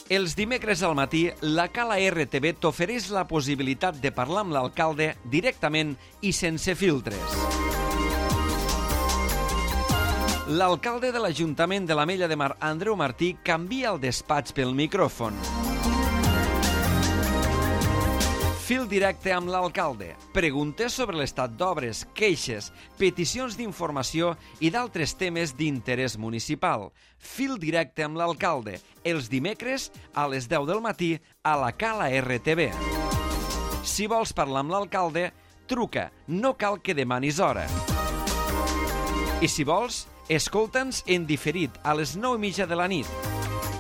Els dimecres al matí, la Cala RTV t'ofereix la possibilitat de parlar amb l'alcalde directament i sense filtres. L'alcalde de l'Ajuntament de l'Ametlla de Mar, Andreu Martí, canvia el despatx pel micròfon. Fil directe amb l'alcalde. Preguntes sobre l'estat d'obres, queixes, peticions d'informació i d'altres temes d'interès municipal. Fil directe amb l'alcalde. Els dimecres a les 10 del matí a la Cala RTV. Si vols parlar amb l'alcalde, truca. No cal que demanis hora. I si vols, escolta'ns en diferit a les 9:30 de la nit.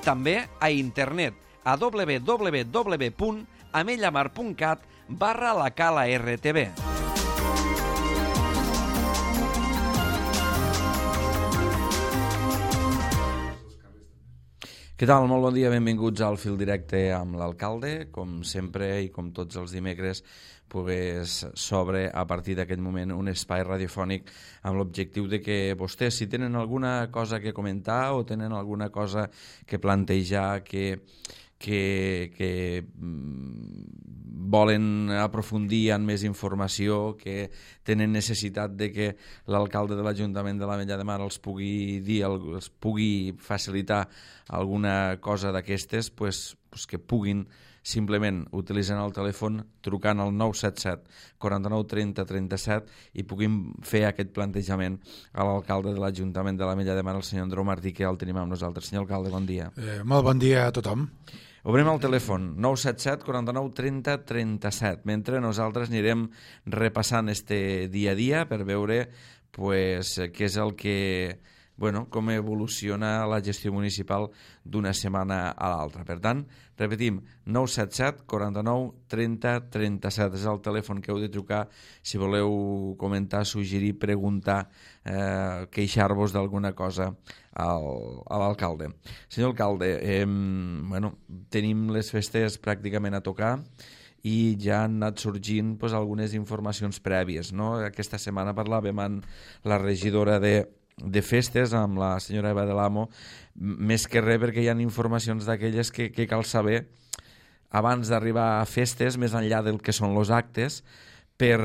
També a internet a www.amellamar.cat/la Cala RTV. Què tal? Molt bon dia, benvinguts al Fil Directe amb l'alcalde. Com sempre i com tots els dimecres, s'obre a partir d'aquest moment un espai radiofònic amb l'objectiu de que vostès, si tenen alguna cosa que comentar o tenen alguna cosa que plantejar, que volen aprofundir en més informació, que tenen necessitat de que l'alcalde de l'Ajuntament de l'Ametlla de Mar els pugui dir, els pugui facilitar alguna cosa d'aquestes, que puguin simplement utilitzant el telèfon, trucant al 977 49 30 37 i puguin fer aquest plantejament a l'alcalde de l'Ajuntament de l'Ametlla de Mar, el senyor Andreu Martí, que el tenim amb nosaltres. Senyor alcalde, bon dia. Molt bon dia a tothom. Obrim el telèfon 977 49 30 37. Mentre nosaltres anirem repassant este dia a dia per veure què és el que, com evoluciona la gestió municipal d'una setmana a l'altra. Per tant, repetim, 977 49 30 37 és el telèfon que heu de trucar si voleu comentar, suggerir, preguntar, queixar-vos d'alguna cosa a l'alcalde. Senyor alcalde, tenim les festes pràcticament a tocar i ja han anat sorgint algunes informacions prèvies, no? Aquesta setmana parlàvem amb la regidora de festes, amb la senyora Eva de l'Amo, més que res perquè hi ha informacions d'aquelles que cal saber abans d'arribar a festes, més enllà del que són els actes, per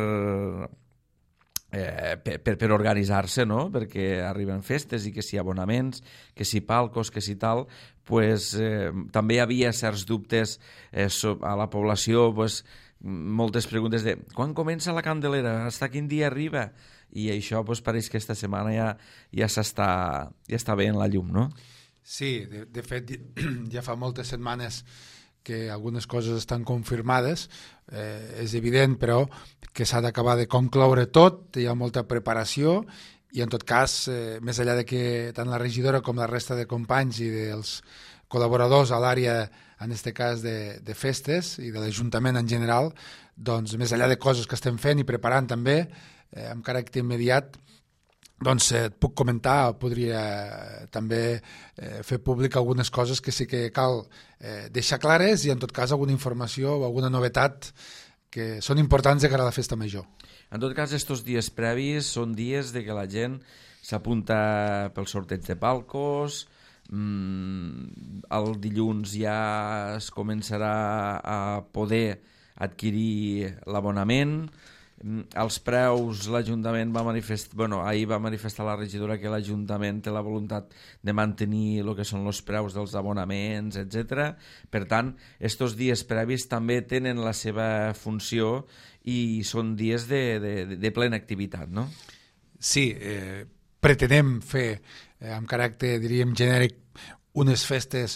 organitzar-se, no? Perquè arriben festes i que si abonaments, que si palcos, que si tal, també hi havia certs dubtes a la població, moltes preguntes de quan comença la Candelera, fins quin dia arriba, i això pareix que aquesta setmana ja està bé en la llum, no? Sí, de fet ja fa moltes setmanes que algunes coses estan confirmades, és evident però que s'ha d'acabar de concloure tot, hi ha molta preparació i en tot cas, més enllà de que tant la regidora com la resta de companys i dels col·laboradors a l'àrea, en aquest cas de festes i de l'Ajuntament en general, doncs més enllà de coses que estem fent i preparant també, amb caràcter immediat, doncs et puc comentar, podria també fer públic algunes coses que sí que cal deixar clares i en tot cas alguna informació o alguna novetat que són importants de cara a la festa major. En tot cas, estos dies previs són dies de que la gent s'apunta pel sorteig de palcos, el dilluns ja es començarà a poder adquirir l'abonament. Els preus, l'Ajuntament ahir va manifestar la regidora que l'Ajuntament té la voluntat de mantenir el que són els preus dels abonaments, etc. Per tant, estos dies previs també tenen la seva funció i són dies de plena activitat, no? Sí, pretenem fer, amb caràcter, diríem, genèric, unes festes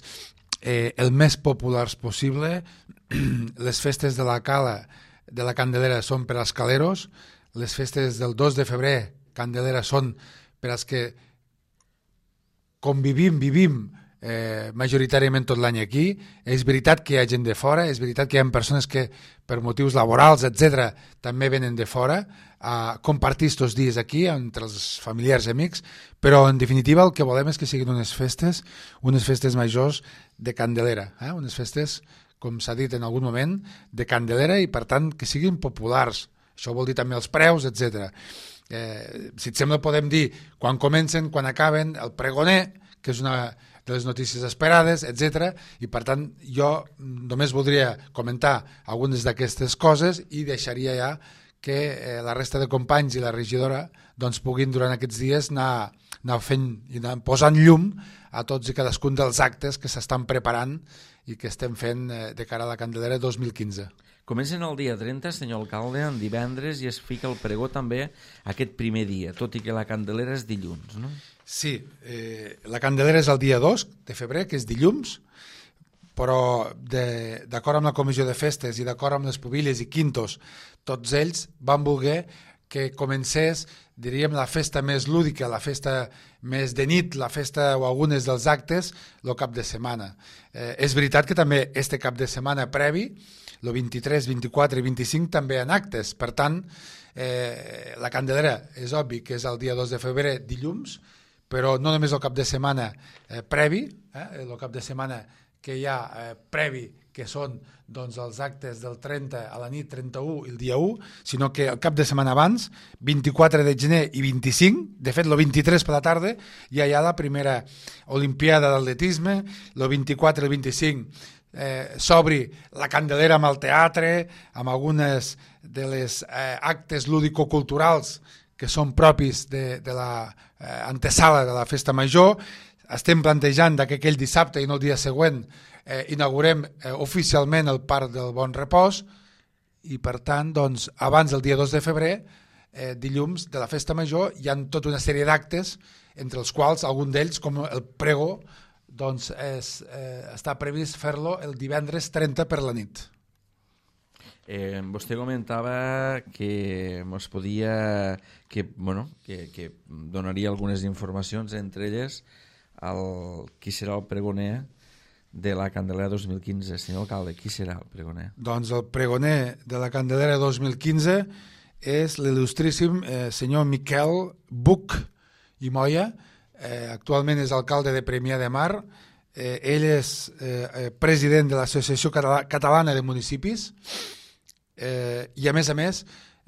el més populars possible. Les festes de la Cala de la Candelera són per als caleros, les festes del 2 de febrer, Candelera, són per als que vivim majoritàriament tot l'any aquí. És veritat que hi ha gent de fora, és veritat que hi ha persones que per motius laborals, etc., també venen de fora a compartir aquests dies aquí entre els familiars i amics, però en definitiva el que volem és que siguin unes festes majors de Candelera, unes festes, com s'ha dit en algun moment, de Candelera i per tant que siguin populars. Això vol dir també els preus, etc. Si et sembla podem dir quan comencen, quan acaben, el pregoner, que és una de les notícies esperades, etc. I per tant jo només voldria comentar algunes d'aquestes coses i deixaria ja que la resta de companys i la regidora doncs, puguin durant aquests dies anar fent i anar posant llum a tots i cadascun dels actes que s'estan preparant i que estem fent de cara a la Candelera 2015. Comencen el dia 30, senyor alcalde, en divendres, i es fica el pregó també aquest primer dia, tot i que la Candelera és dilluns, no? Sí, la Candelera és el dia 2 de febrer, que és dilluns, però d'acord amb la comissió de festes i d'acord amb les pubilles i quintos, tots ells van voler que comencés, diríem, la festa més lúdica, la festa més de nit, la festa o algunes dels actes, el cap de setmana. És veritat que també este cap de setmana previ, el 23, 24 i 25 també en actes, per tant, la Candelera és obvi que és el dia 2 de febrer, dilluns, però no només el cap de setmana previ, el cap de setmana que hi ha previ, que són doncs, els actes del 30 a la nit, 31 i el dia 1, sinó que el cap de setmana abans, 24 de gener i 25, de fet el 23 per la tarda, ja hi ha la primera Olimpiada d'atletisme, el 24 i el 25 s'obri la Candelera amb el teatre, amb algunes de les actes lúdico-culturals que són propis de la antesala de la festa major. Estem plantejant que aquell dissabte i no el dia següent inaugurem oficialment el Parc del Bon Repòs i per tant doncs, abans del dia 2 de febrer, dilluns de la festa major, hi ha tota una sèrie d'actes entre els quals algun d'ells, com el pregó, doncs està previst fer-lo el divendres 30 per la nit. Vostè comentava que ens podia que donaria algunes informacions, entre elles qui serà el pregoner de la Candelera 2015. Senyor alcalde, qui serà el pregoner? Doncs el pregoner de la Candelera 2015 és l'il·lustríssim senyor Miquel Buch i Moya. Actualment és alcalde de Premià de Mar. Ell és president de l'Associació Catalana de Municipis i a més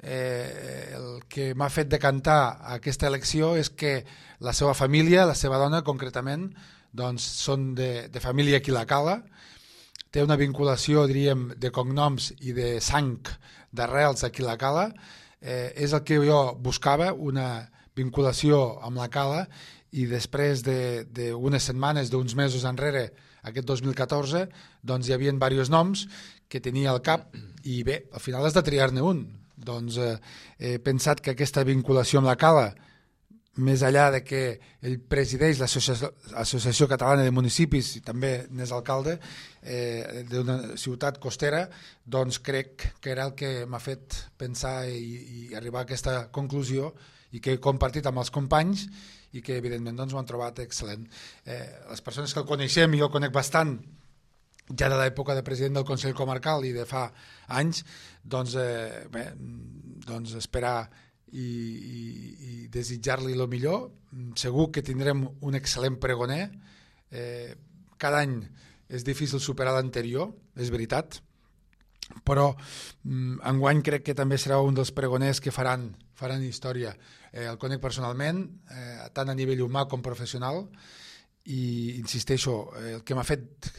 el que m'ha fet decantar aquesta elecció és que la seva família, la seva dona concretament, doncs són de família aquí a la Cala, té una vinculació, diríem, de cognoms i de sang d'arrels aquí a la Cala, és el que jo buscava, una vinculació amb la Cala, i després d'unes setmanes, d'uns mesos enrere, aquest 2014, doncs hi havia diversos noms que tenia al cap i bé, al final has de triar-ne un. Doncs he pensat que aquesta vinculació amb la Cala, més enllà de que ell presideix l'Associació Catalana de Municipis i també n'és alcalde d'una ciutat costera, doncs crec que era el que m'ha fet pensar i arribar a aquesta conclusió i que he compartit amb els companys i que evidentment doncs, ho han trobat excel·lent. Les persones que el coneixem, i jo el conec bastant, ja de l'època de president del Consell Comarcal i de fa anys, doncs, doncs esperar i desitjar-li el millor. Segur que tindrem un excel·lent pregoner. Cada any és difícil superar l'anterior, és veritat, però enguany crec que també serà un dels pregoners que faran història. El conec personalment, tant a nivell humà com professional, i insisteixo, el que m'ha fet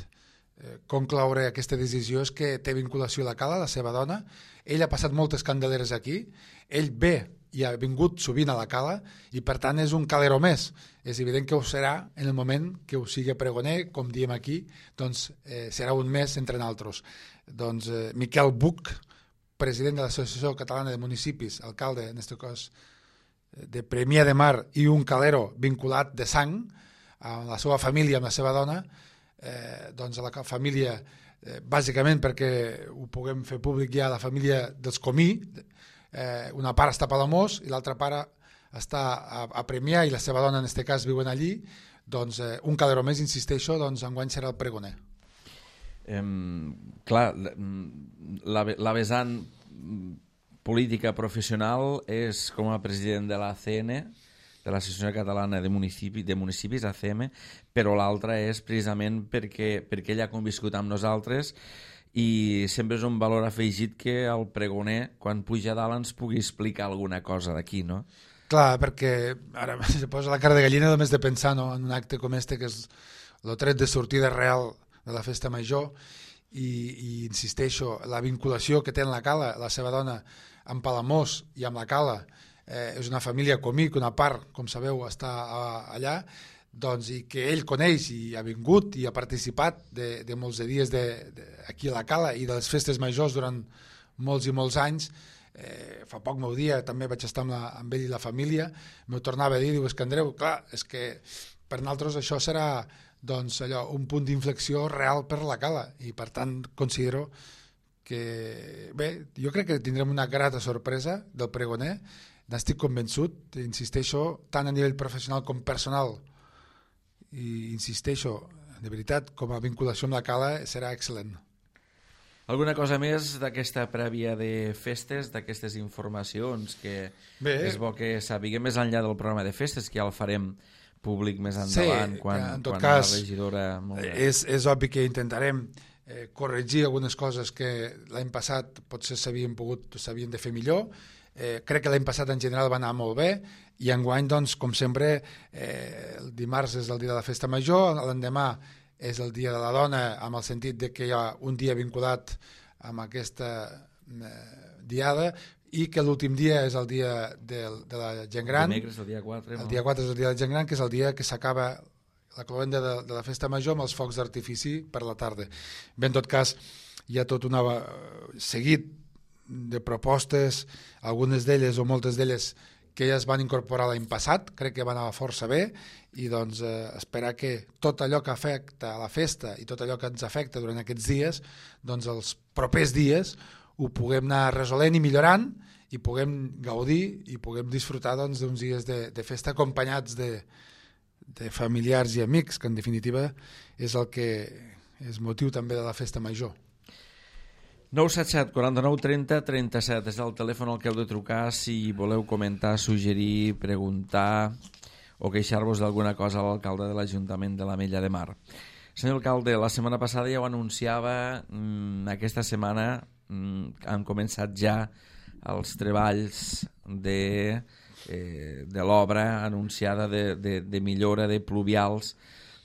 concloure aquesta decisió és que té vinculació a la Cala, la seva dona. Ell ha passat moltes candeleres aquí, ell ve i ha vingut sovint a la Cala i per tant és un calero més. És evident que ho serà en el moment que ho sigui pregoner, com diem aquí, doncs serà un més entre nosaltres. Doncs Miquel Buch, president de l'Associació Catalana de Municipis, alcalde, en aquest cas, de Premià de Mar, i un calero vinculat de sang amb la seva família, amb la seva dona, doncs a la família, bàsicament perquè ho puguem fer públic ja, la família dels Comí, una part està a Palamós i l'altra part està a Premià i la seva dona en aquest cas viuen allí, doncs un calero més, insisteixo, doncs enguany serà el pregoner. Clar, la vessant política professional és com a president de l'ACN, de l'Associació Catalana de Municipis, ACM, però l'altra és precisament perquè ell ha conviscut amb nosaltres i sempre és un valor afegit que el pregoner, quan puja a dalt, ens pugui explicar alguna cosa d'aquí, no? Clar, perquè ara se posa la cara de gallina només de pensar, no, en un acte com este, que és el tret de sortida real de la festa major i insisteixo, la vinculació que té en la Cala, la seva dona, amb Palamós i amb la Cala, és una família comic, una part, com sabeu, està allà, doncs, i que ell coneix i ha vingut i ha participat de molts de dies aquí a la Cala i de les festes majors durant molts i molts anys. Fa poc meu dia també vaig estar amb ell i la família, m'ho tornava a dir, diu, és que Andreu, clar, és que per nosaltres això serà doncs, allò, un punt d'inflexió real per la Cala i per tant considero que, bé, jo crec que tindrem una grata sorpresa del pregoner, n'estic convençut, insisteixo, tant a nivell professional com personal, i insisteixo, de veritat, com a vinculació amb la Cala serà excel·lent. Alguna cosa més d'aquesta prèvia de festes, d'aquestes informacions que és bo que sapiguem més enllà del programa de festes, que ja el farem públic més endavant, en tot quan cas, la regidora... És obvi que intentarem corregir algunes coses que l'any passat potser s'havien de fer millor. Crec que l'any passat en general va anar molt bé i enguany, doncs, com sempre, el dimarts és el dia de la festa major, l'endemà és el dia de la dona, amb el sentit de que hi ha un dia vinculat amb aquesta diada i que l'últim dia és el dia de la gent gran. Dimecres, el dia 4. El dia 4 és el dia de la gent gran, que és el dia que s'acaba la cloenda de la festa major amb els focs d'artifici per la tarda. Bé, en tot cas, hi ha tot un seguit de propostes, algunes d'elles o moltes d'elles que ja es van incorporar l'any passat, crec que van anar força bé, i doncs esperar que tot allò que afecta a la festa i tot allò que ens afecta durant aquests dies, doncs els propers dies ho puguem anar resolent i millorant i puguem gaudir i puguem disfrutar doncs, d'uns dies de festa acompanyats de familiars i amics, que en definitiva és el que és motiu també de la festa major. 977 49 30 37 és el telèfon al que heu de trucar si voleu comentar, suggerir, preguntar o queixar-vos d'alguna cosa a l'alcalde de l'Ajuntament de l'Ametlla de Mar. Senyor alcalde, la setmana passada ja ho anunciava, aquesta setmana han començat ja els treballs de l'obra anunciada de millora de pluvials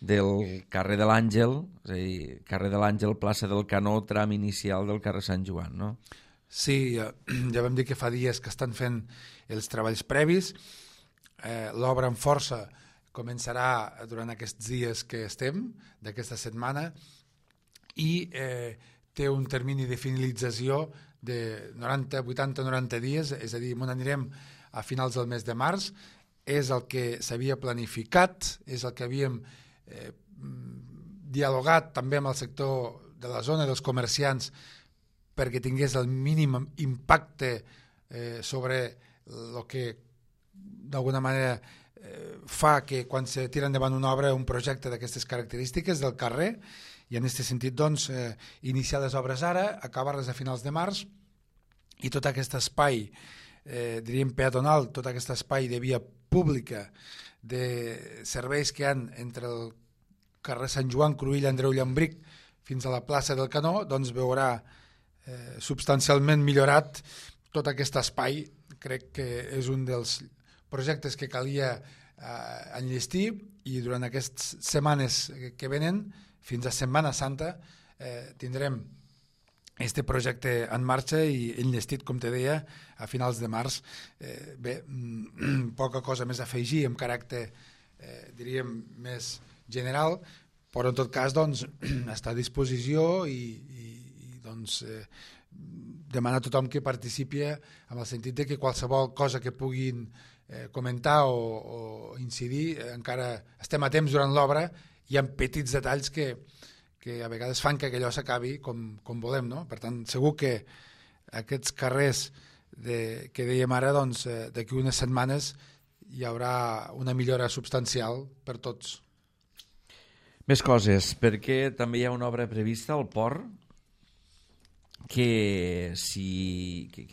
del carrer de l'Àngel, és a dir, carrer de l'Àngel, plaça del Canó, tram inicial del carrer Sant Joan, no? Sí, ja vam dir que fa dies que estan fent els treballs previs. L'obra en força començarà durant aquests dies que estem, d'aquesta setmana, i té un termini de finalització de 90, 80, 90 dies, és a dir, on anirem a finals del mes de març. És el que s'havia planificat, és el que havíem dialogat també amb el sector de la zona dels comerciants perquè tingués el mínim impacte sobre el que d'alguna manera fa que quan se tira endavant una obra, un projecte d'aquestes característiques del carrer, i en aquest sentit doncs, iniciar les obres ara, acabar-les a finals de març, i tot aquest espai diríem peatonal, tot aquest espai de via pública de serveis que hi ha entre el carrer Sant Joan, Cruïlla, Andreu Llambric fins a la plaça del Canó, doncs veurà substancialment millorat tot aquest espai. Crec que és un dels projectes que calia enllestir i durant aquestes setmanes que venen, fins a Setmana Santa, tindrem este projecte en marxa i enllestit, com te deia, a finals de març. Bé, poca cosa més a afegir amb caràcter, diríem, més general, però en tot cas doncs, està a disposició i doncs, demanar a tothom que participi amb el sentit de que qualsevol cosa que puguin comentar o incidir, encara estem a temps durant l'obra, hi ha petits detalls que a vegades fan que allò s'acabi com volem, no? Per tant, segur que aquests carrers que dèiem ara, doncs, d'aquí unes setmanes hi haurà una millora substancial per tots. Més coses, perquè també hi ha una obra prevista al port que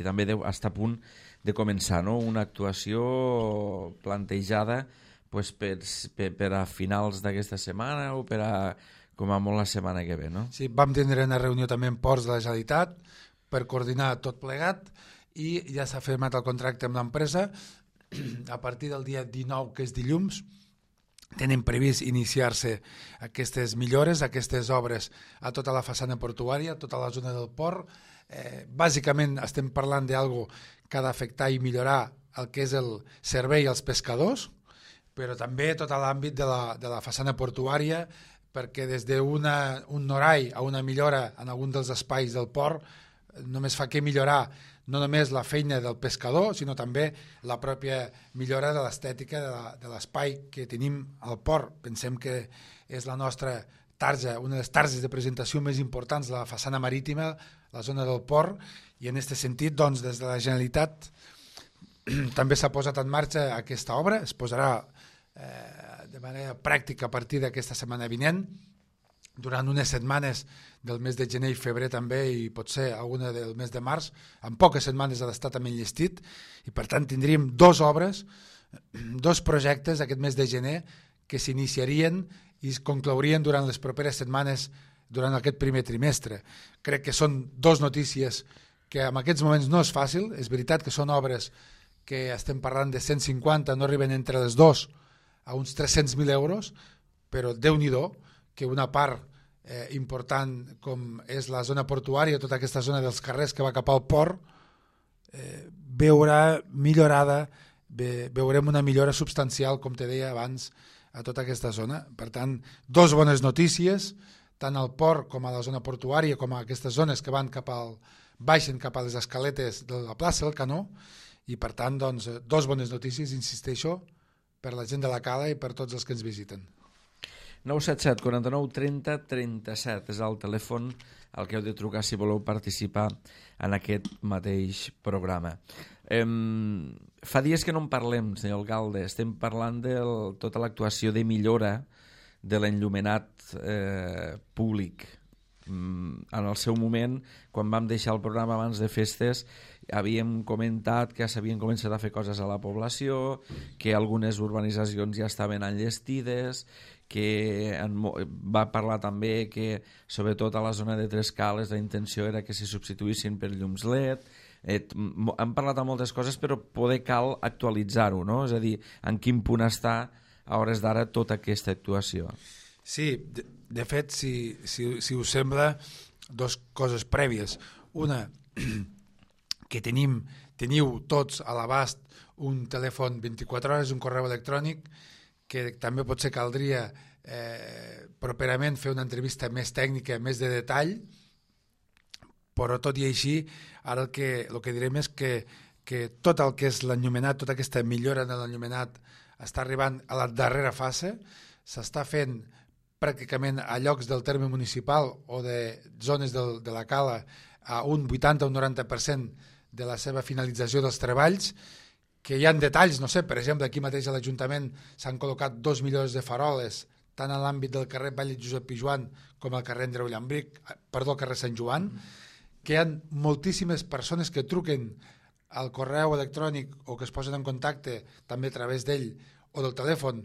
també està a punt de començar, no? Una actuació plantejada pues, per a finals d'aquesta setmana o per a com a molt la setmana que ve, no? Sí, vam tindre una reunió també en Ports de la Generalitat per coordinar tot plegat i ja s'ha firmat el contracte amb l'empresa. A partir del dia 19, que és dilluns, tenen previst iniciar-se aquestes millores, aquestes obres a tota la façana portuària, a tota la zona del port. Bàsicament estem parlant d'algo que ha d'afectar i millorar el que és el servei als pescadors, però també tot l'àmbit de la façana portuària, perquè des d'un norai a una millora en algun dels espais del port només fa que millorar no només la feina del pescador, sinó també la pròpia millora de l'estètica de l'espai que tenim al port. Pensem que és la nostra tarja, una de les targes de presentació més importants de la façana marítima, la zona del port, i en aquest sentit, doncs, des de la Generalitat també s'ha posat en marxa aquesta obra, es posarà de manera pràctica a partir d'aquesta setmana vinent, durant unes setmanes del mes de gener i febrer també, i potser alguna del mes de març, en poques setmanes ha d'estar també enllestit, i per tant tindríem dues obres, dos projectes aquest mes de gener que s'iniciarien i es conclourien durant les properes setmanes, durant aquest primer trimestre. Crec que són dues notícies que en aquests moments no és fàcil, és veritat que són obres que estem parlant de 150, no arriben entre les dues a uns 300.000 euros, però Déu-n'hi-do que una part important com és la zona portuària, tota aquesta zona dels carrers que va cap al port, veurà millorada, veurem una millora substancial, com te deia abans, a tota aquesta zona. Per tant, dues bones notícies, tant al port com a la zona portuària, com a aquestes zones que van baixen cap a les escaletes de la plaça del Canó, i per tant, doncs, dues bones notícies, insisteixo, per la gent de la Cala i per tots els que ens visiten. 977 49 30 37 és el telèfon al que heu de trucar si voleu participar en aquest mateix programa. Fa dies que no en parlem, senyor Alcalde, estem parlant de tota l'actuació de millora de l'enllumenat públic. En el seu moment, quan vam deixar el programa abans de festes, havíem comentat que s'havien començat a fer coses a la població, que algunes urbanitzacions ja estaven enllestides, que va parlar també que sobretot a la zona de Tres Cales la intenció era que se substituïssin per llums LED. Hem parlat de moltes coses, però poder cal actualitzar-ho, no? És a dir, en quin punt està a hores d'ara tota aquesta actuació. Sí, de fet, si us sembla, dues coses prèvies. Una, que teniu tots a l'abast un telèfon 24 hores, un correu electrònic, que també potser caldria properament fer una entrevista més tècnica, més de detall, però tot i així, ara el que direm és que tot el que és l'enllumenat, tota aquesta millora de l'enllumenat està arribant a la darrera fase, s'està fent pràcticament a llocs del terme municipal o de zones de la Cala a un 80 o un 90% de la seva finalització dels treballs, que hi ha detalls, no sé, per exemple, aquí mateix a l'Ajuntament s'han col·locat 2 millores de faroles, tant en l'àmbit del carrer Vall Josep Pijuan com al carrer Andreu Llambric, al carrer Sant Joan, que hi ha moltíssimes persones que truquen al correu electrònic o que es posen en contacte també a través d'ell o del telèfon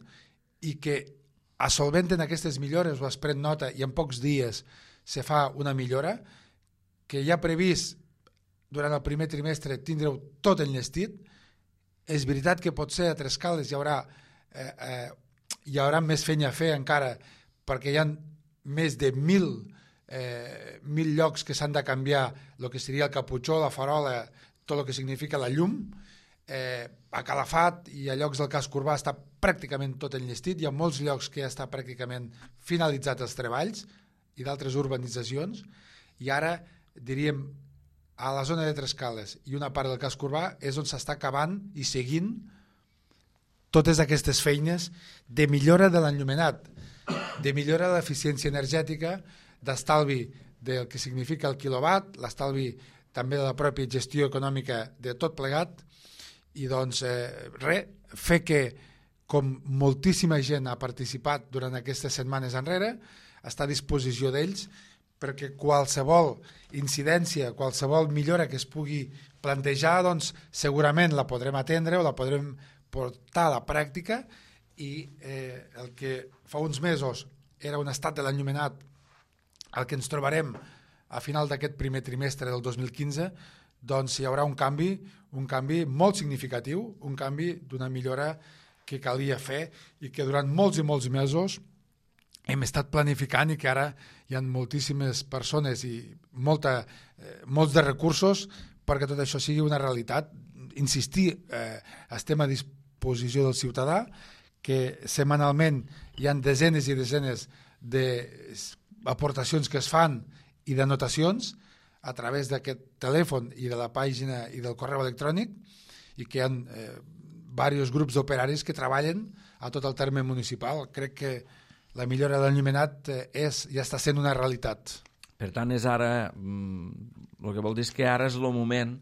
i que solventen aquestes millores o es pren nota i en pocs dies se fa una millora, que hi ha previst durant el primer trimestre tindreu tot enllestit. És veritat que potser a Tres Cales hi haurà més feina a fer encara, perquè hi ha més de 1.000 llocs que s'han de canviar el que seria el caputxó, la farola, tot el que significa la llum. A Calafat i a llocs del casc urbà està pràcticament tot enllestit, hi ha molts llocs que ja està pràcticament finalitzats els treballs i d'altres urbanitzacions, i ara diríem a la zona de Tres Cales i una part del casc urbà és on s'està acabant i seguint totes aquestes feines de millora de l'enllumenat, de millora de l'eficiència energètica, d'estalvi del que significa el quilowatt, l'estalvi també de la pròpia gestió econòmica de tot plegat, i doncs fer que, com moltíssima gent ha participat durant aquestes setmanes enrere, està a disposició d'ells perquè qualsevol incidència, qualsevol millora que es pugui plantejar, doncs segurament la podrem atendre o la podrem portar a la pràctica, i el que fa uns mesos era un estat de l'enllumenat, el que ens trobarem a final d'aquest primer trimestre del 2015, doncs hi haurà un canvi molt significatiu, un canvi d'una millora que calia fer i que durant molts i molts mesos hem estat planificant i que ara hi ha moltíssimes persones i molts de recursos perquè tot això sigui una realitat. Insistir, estem a disposició del ciutadà, que setmanalment hi ha desenes i desenes d'aportacions que es fan i d'anotacions a través d'aquest telèfon i de la pàgina i del correu electrònic i que hi ha diversos grups d'operaris que treballen a tot el terme municipal. Crec que la millora de l'enllumenat ja està sent una realitat. Per tant, és ara, el que vol dir és que ara és el moment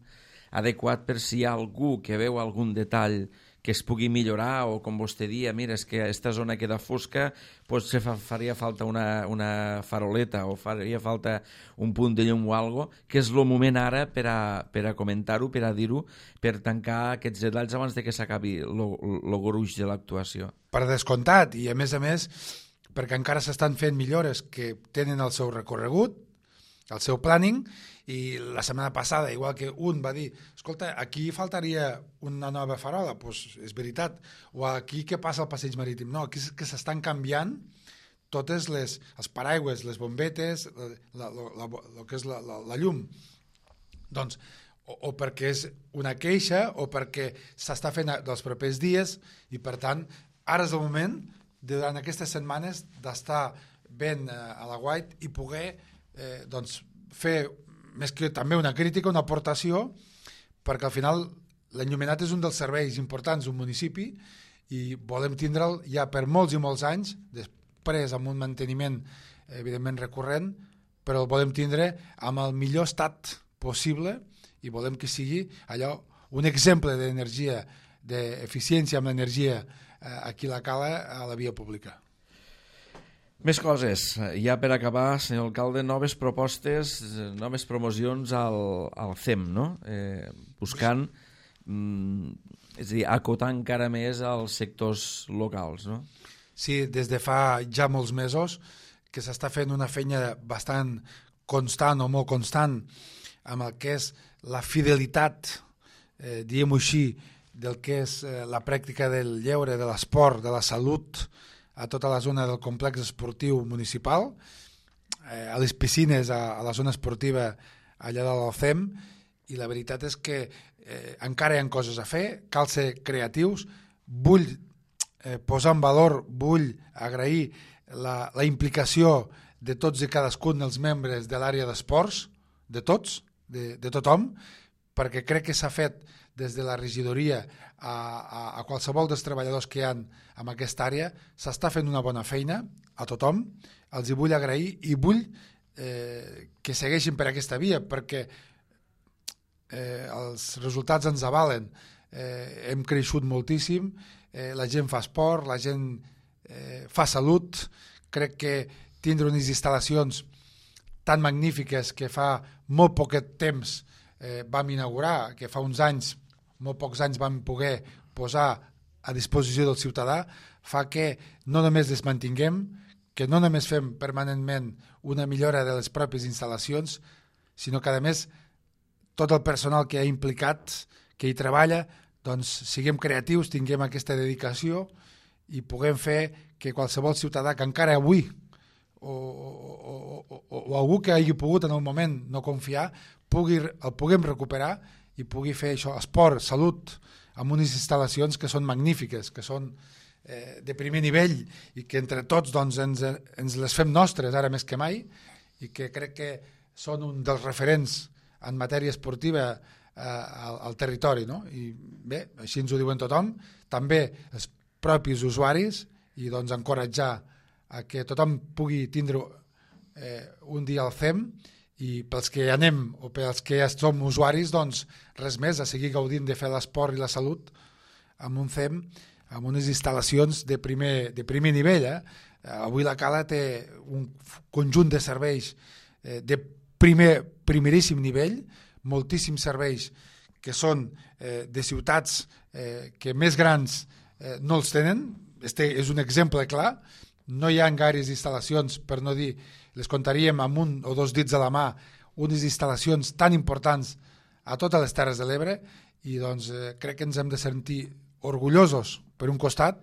adequat per si hi ha algú que veu algun detall que es pugui millorar o, com vostè dia, mira, és que aquesta zona queda fosca, potser faria falta una faroleta o faria falta un punt de llum o alguna cosa, que és el moment ara per a comentar-ho, per a dir-ho, per tancar aquests detalls abans de que s'acabi el gruix de l'actuació. Per descomptat, i a més, perquè encara s'estan fent millores que tenen el seu recorregut, el seu planning, i la setmana passada, igual que un va dir, escolta, aquí faltaria una nova farola, doncs és veritat, o aquí què passa al passeig marítim? No, aquí és que s'estan canviant totes els paraigües, les bombetes, el que és la llum. Doncs, o perquè és una queixa, o perquè s'està fent dels propers dies, i per tant, ara és el moment, durant aquestes setmanes, d'estar ben a la guait i poder fer més que també una crítica, una aportació, perquè al final l'enllumenat és un dels serveis importants d'un municipi i volem tindre'l ja per molts i molts anys, després amb un manteniment evidentment recurrent, però el volem tindre amb el millor estat possible i volem que sigui allò un exemple d'energia, d'eficiència amb l'energia aquí a la Cala, a la via pública. Més coses. Ja per acabar, senyor alcalde, noves propostes, noves promocions al CEM, no? Buscant, és a dir, acotar encara més als sectors locals, no? Sí, des de fa ja molts mesos que s'està fent una feina bastant constant o molt constant amb el que és la fidelitat, diguem-ho així, del que és la pràctica del lleure, de l'esport, de la salut, a tota la zona del complex esportiu municipal, a les piscines, a la zona esportiva allà de l'Alcem, i la veritat és que encara hi ha coses a fer, cal ser creatius, vull posar en valor, vull agrair la implicació de tots i cadascun dels membres de l'àrea d'esports, de tots, de tothom, perquè crec que s'ha fet des de la regidoria a qualsevol dels treballadors que hi ha en aquesta àrea, s'està fent una bona feina a tothom, els hi vull agrair i vull que segueixin per aquesta via, perquè els resultats ens avalen. Hem creixut moltíssim, la gent fa esport, la gent fa salut, crec que tindre unes instal·lacions tan magnífiques que fa molt poquet temps vam inaugurar, que fa uns anys, molt pocs anys vam poder posar a disposició del ciutadà, fa que no només les mantinguem, que no només fem permanentment una millora de les pròpies instal·lacions, sinó que a més tot el personal que ha implicat, que hi treballa, doncs siguem creatius, tinguem aquesta dedicació i puguem fer que qualsevol ciutadà que encara avui o algú que hagi pogut en el moment no confiar, el puguem recuperar i pugui fer això, esport, salut, amb unes instal·lacions que són magnífiques, que són de primer nivell i que entre tots doncs, ens les fem nostres ara més que mai i que crec que són un dels referents en matèria esportiva al territori, no? I bé, així ens ho diuen tothom, també els propis usuaris i doncs encoratjar a que tothom pugui tindre un dia al CEM i pels que anem o pels que ja som usuaris, doncs res més, a seguir gaudint de fer l'esport i la salut amb un CEM, amb unes instal·lacions de primer nivell. Avui la Cala té un conjunt de serveis de primeríssim nivell, moltíssims serveis que són de ciutats que més grans no els tenen. Este és un exemple clar. No hi ha gaires instal·lacions, per no dir, les contaríem amb un o dos dits a la mà, unes instal·lacions tan importants a totes les Terres de l'Ebre i doncs crec que ens hem de sentir orgullosos per un costat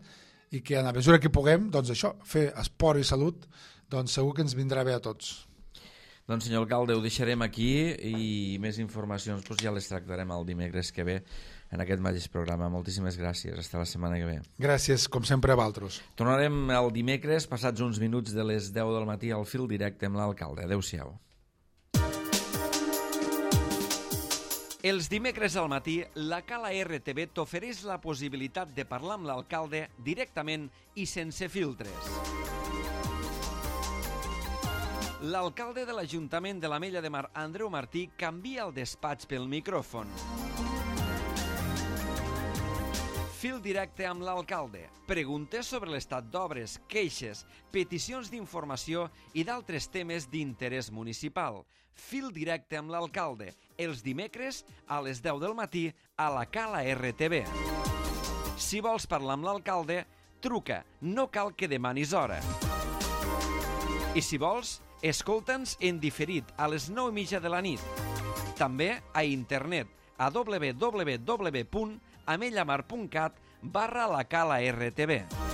i que a la mesura que puguem, doncs això, fer esport i salut, doncs segur que ens vindrà bé a tots. Doncs senyor alcalde, ho deixarem aquí i més informacions doncs ja les tractarem el dimecres que ve en aquest mateix programa. Moltíssimes gràcies, fins la setmana que ve. Gràcies, com sempre, a vosaltres. Tornarem el dimecres, passats uns minuts de les 10 del matí al fil directe amb l'alcalde. Adéu-siau. Els dimecres al matí, la Cala RTV t'ofereix la possibilitat de parlar amb l'alcalde directament i sense filtres. L'alcalde de l'Ajuntament de l'Ametlla de Mar, Andreu Martí, canvia el despatx pel micròfon. Fil directe amb l'alcalde. Preguntes sobre l'estat d'obres, queixes, peticions d'informació i d'altres temes d'interès municipal. Fil directe amb l'alcalde. Els dimecres a les 10 del matí a la Cala RTV. Si vols parlar amb l'alcalde, truca. No cal que demanis hora. I si vols, escolta'ns en diferit a les 9:30 de la nit. També a internet a www.amellamar.cat/la Cala RTV.